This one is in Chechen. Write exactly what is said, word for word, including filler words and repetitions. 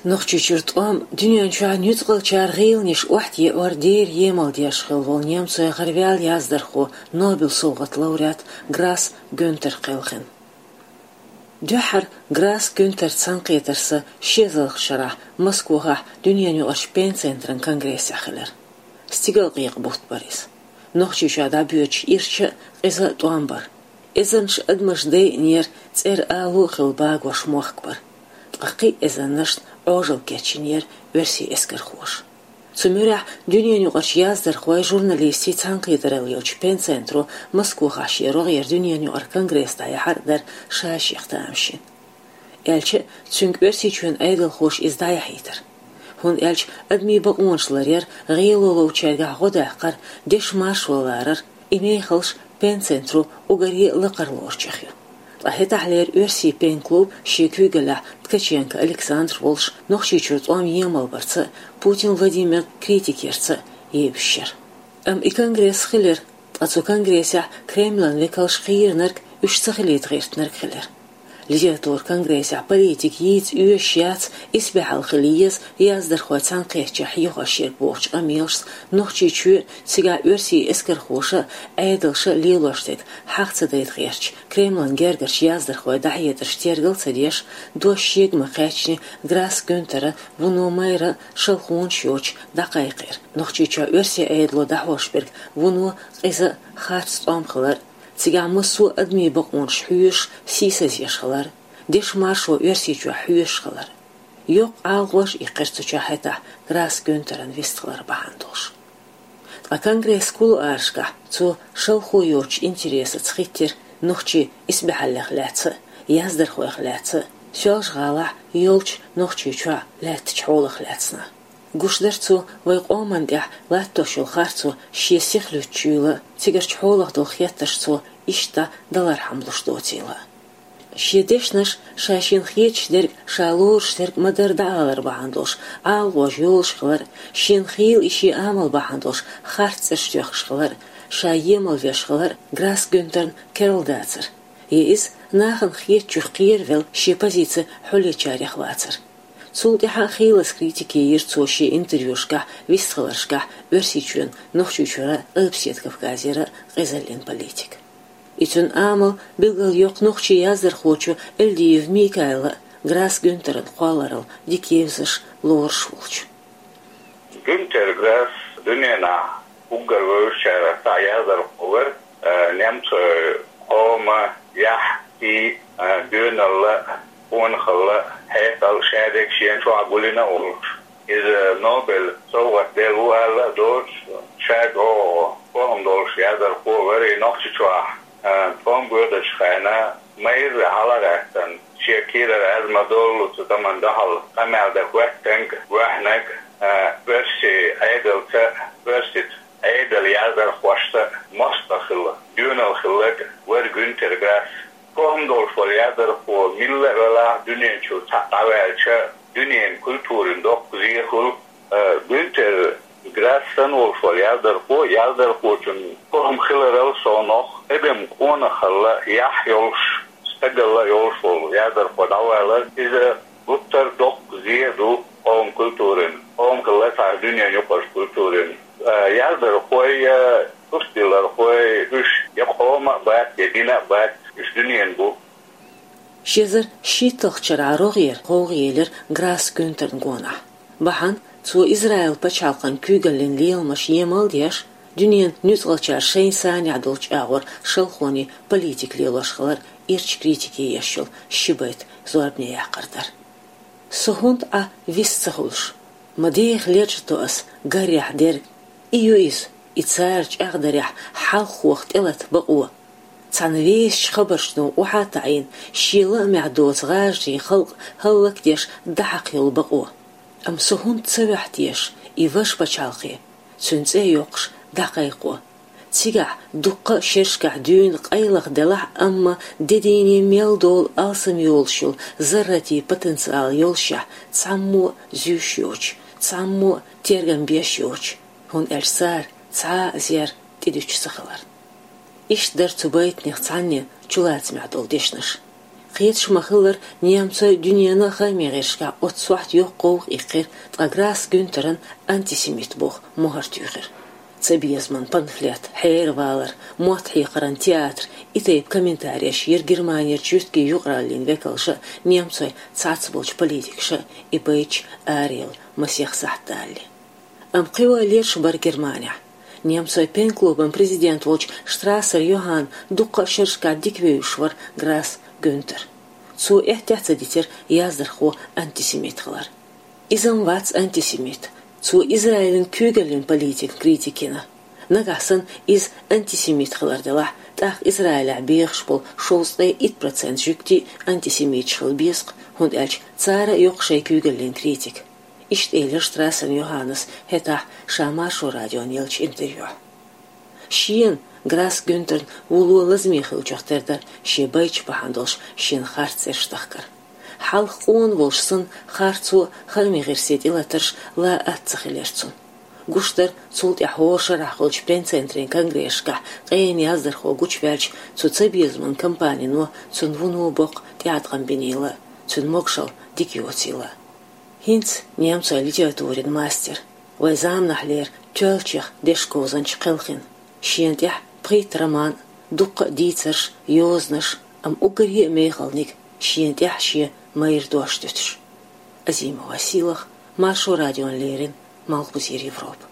Нохчийчуьра тӀом дуьнен чохь нуьцкъалчара гӀийланаш охьатаӀор дера емал деш хилла волу немцойн гӀараваьлла яздархо, Нобелан совгӀатан лауреат Грасс Гюнтер кхелхина. Дуьххьара Грасс Гюнтер цхьаьнакхетар сан ши эзарлагӀчу шарахь Москвахь дуьненаюкъарчу Пен-центран конгрессехь хилира. Стигалкъекъа бутт бара иза. Нохчийчохь дӀабоьдуш ирча а, къиза а тӀом бара. Эзарнаш адамаш дайинера, цӀера ало а хилла багош мохк бара. Ткъа кхин а эзарнашна Ӏожалла кечйинера оьрсийн эскархоша. Цу муьрехь дуьненаюкъарчу яздархойн, журналистийн цхьаьнакхетаралла йолчу Пен-центро Москвахь шен рогӀера дуьненаюкъара конгресс дӀаяхьар а дара ша-шех тамашийна. Аьлча а, цуьнга Оьрсийчоьнан Ӏедалхоша иза дӀаяхьийтара. ХӀунда аьлча адамийн бакъонаш ларъяр, гӀело ловчаьргахь гӀо даккхар, дешан маршо ларар, и мехаллаш Пен-центро уггаре а лакхара лоручех ю. Ткъа хӀетахьлера оьрсийн пен-клуб, шен куьйгаллехь Ткаченко Александр волуш, Нохчийчуьра тӀом емал барца а, Путин Владимирна критика ярца а евзаш яра. Амма и конгресс хилира, ткъа цу конгрессехь Кремлан векалш кхийринарг уьш ца хилийта гӀиртинарг хилира. Литературан конгрессехь политика йийца оьшуш яц, исбаьхьалла хила еза яздархой цхьаьнакхеттачохь хьехош ерг бохучу къамелашца Нохчийчоь а, цигахь оьрсийн эскархоша а, Ӏедалша а лелош дерг хьаха ца дайта гӀерташ, Кремлан гергарчу яздархойн дӀахьедарш тергал а ца деш, дош шега ма-кхаьчнехь, Грасс Гюнтера, вуно майра а, шалхонаш йоцуш, дӀакхайкхийра Нохчийчохь оьрсийн Ӏедало дӀахьош берг вуно къиза а, харц тӀом хилар а, цигахь массо а адамийн бакъонаш хьоьшуш, сийсазъеш хилар а, дешан маршо Оьрсийчохь хьоьшуш хилар а. Йоккха Ӏалашонаш иккхира цу чохь хӀетахь Грасс Гюнтеран вистхилар бахьана долуш. Ткъа конгрессан кулуарашкахь цо шалхо йоцучу интересаца хӀиттира нохчийн исбаьхьаллех лаьцна а, яздархойх лаьцна а, Соьлжа-ГӀалахь йолчу Нохчийчохь лаьттачу хьолах лаьцна а. Гуш дара цо вайн къоманна тӀехь латтош йолу харцо шен сиха луьттучуьйла а, цигарчу хьолах долу хеттарш цо иштта далархьама луш доцийла а. Шен дешнаш, ша шена хеташ дерг, ша лоруш дерг ма-дарра дӀаалар бахьана долуш, Ӏалашонаш йолуш хилар а, шена хийла и шен амал бахьана долуш харц цӀераш тоьхкуш хилар а, ша емал веш хилар а Грасс Гюнтерна керла дацара. Я иза нахана хетачух кхеравелла шен позици хьулъечарех вацара. Цул тӀаьхьа а хийлаза критика йира цо шен интервьюшкахь, вистхиларшкахь Оьрсийчоьнан, Нохчийчуьра а, Къилбаседа Кавказера а къизаллин политика. И цуьнан амал билгалйоккху нохчийн яздархочо Эльдиев Микаила а, Грасс Гюнтеран кхолларалла дика евзаш, лоруш волчу. Гюнтер Грасс дуьненахь уггар вевзачарах цхьа яздархо вара, а, немцойн къоман яхь, сий, а, доьналла, къонахалла, хьекъал, шадерг шена чохь гулйина а волуш. Иза Нобелан совгӀат делла ву аьлла а доцуш, ша чӀогӀа фахам долуш яздархо вара и Нохчийчохь, а, тӀом боьдучу хенахь майрра хьала а гӀаьттина, шен кийрара аз ма-доллу цу тӀамна дуьхьал къамел дан хӀоьттинарг, ваьхьнарг, а, оьрсийн Ӏедалца, оьрсийн Ӏедалан яздархошца мостагӀа хилла, доьналла хилларг вара Гюнтер Грасс. Фахам долуш волу яздархо милла а велахь, дуьнен чуьра цхьаъ дӀаваьлча, дуьненан культурина доккха зе хуьлу. Э, Гюнтер Грасс санна волуш волу яздархо, яздархочун фахам хиларал совнах, адам къонахалла, яхь йолуш, стагалла йолуш волу яздархо дӀавалар, иза гуттар а доккха зе а ду къоман культурина, къоман хилла цхьа дуьненан юкъарчу культурина. Э, яздархой, э, тӀустиллархой, уьш я къоман а бац, я динан а бац, уьш дуьненан бу. Ши эзар шийтталгӀачу шарахь рогӀера гӀовгӀа елира Грасс Гюнтерна гонахь. Бахьана цо Израилан пачхьалкхан куьйгаллин леламаш емал а деш, дуьненан нуьцкъалчара шайна санехь долчу агӀор шалхонийн политика лелош хилар ирча критике еш йолу ши байт зорбане яккхар дара. Со хӀунда Ӏа вист ца хуьлуш? Ма деха лечкъадо ас гарехь дерг. И ю иза, и цара чӀагӀдарехь хьалххох тӀелата бакъо. Цхьана весачу хабаршна охьа а таӀийна, шен лаамехь доцу гӀажарийн халкъ хӀаллакдеш дӀахьакха йолу бакъо. Амма со хӀунда ца ваьхьа теша и важа пачхьалкхе, цуьнан цӀе а йоккхуш, дӀакхайкхо? Цигахь дуккха а шерашкахь дуьйна къайлаха делахь а, амма де дийне мел долу алсам йолуш йолу зарратийн потенциал йолушехь, цхьаммо а зуьйш йоцуш, цхьаммо а тергам беш йоцуш, хӀунда аьлча цара цхьа а зер тӀедуьтуш ца хилар. Иштта дара цу байтанех цхьанне чулацамехь долу дешнаш. Кхеташ ма-хиллара, немцой дуьненан хаамийн гӀирсашкахь оццу сохьта йоккха гӀовгӀа иккхира, ткъа Грасс Гюнтерна антисемит боху мухӀар туьйхира. Цабезаман памфлет, хьеравалар, мотт хьекхаран театр, и тайпа комментареш йира Германерчу юьртгийн юкъараллин векалша а, немцой цхьацца болчу политикаша а и байташ араяла масех сахьт далале. Амма кхин ойла еш бара Германехь. Немцой пен-клубан президент волчу Штрассер Йоханна дуккха а шерашкахь дика вевзаш вара Грасс Гюнтер. Цо эттехь ца дитира яздархо антисемит хилар. Иза-м вац антисемит. Цо Израилан куьйгаллин политикан критика йина. Нагахь санна иза антисемит хилар делахь, тӀаккха Израилехь бехаш болу шовзткъе итт процент жуьгтий а антисемиташ хила беза-кх, хӀунда аьлча цара а йо-кх шайн куьйгаллин критика. Иштта элира Штрассер Йоханнас хӀетахь ша Маршо радиона еллачу интервьюхь. Шена, Грасс Гюнтерна, вуно лазаме хиллачух тера дара шен байташ бахьана долуш шена харц цӀераш дахкар. Хьалха къона волуш санна, харцо, хаамийн гӀирсийн тӀелатарш лан атта ца хилира цунна. Гуш дара, цул тӀаьхьа хӀора шарахь хуьлучу пен-центрийн конгрессашкахь къена яздархо гучуваьлча, цу цабезаман кампанино цунна вуно боккха тӀеӀаткъам бинийла, цуьнан могушалла дика йоцийла. ХӀинца немцойн литературин мастер, вайн заманахьлера тоьллачех дешан говзанча кхелхина. Шена тӀехь пхийтта роман, дуккха а дийцарш, йозанаш, амма уггаре а мехалниг, шена тӀехь шен майра дош дуьтуш. Азима Василах, Маршо радиона леррина, Малхбузера Европа.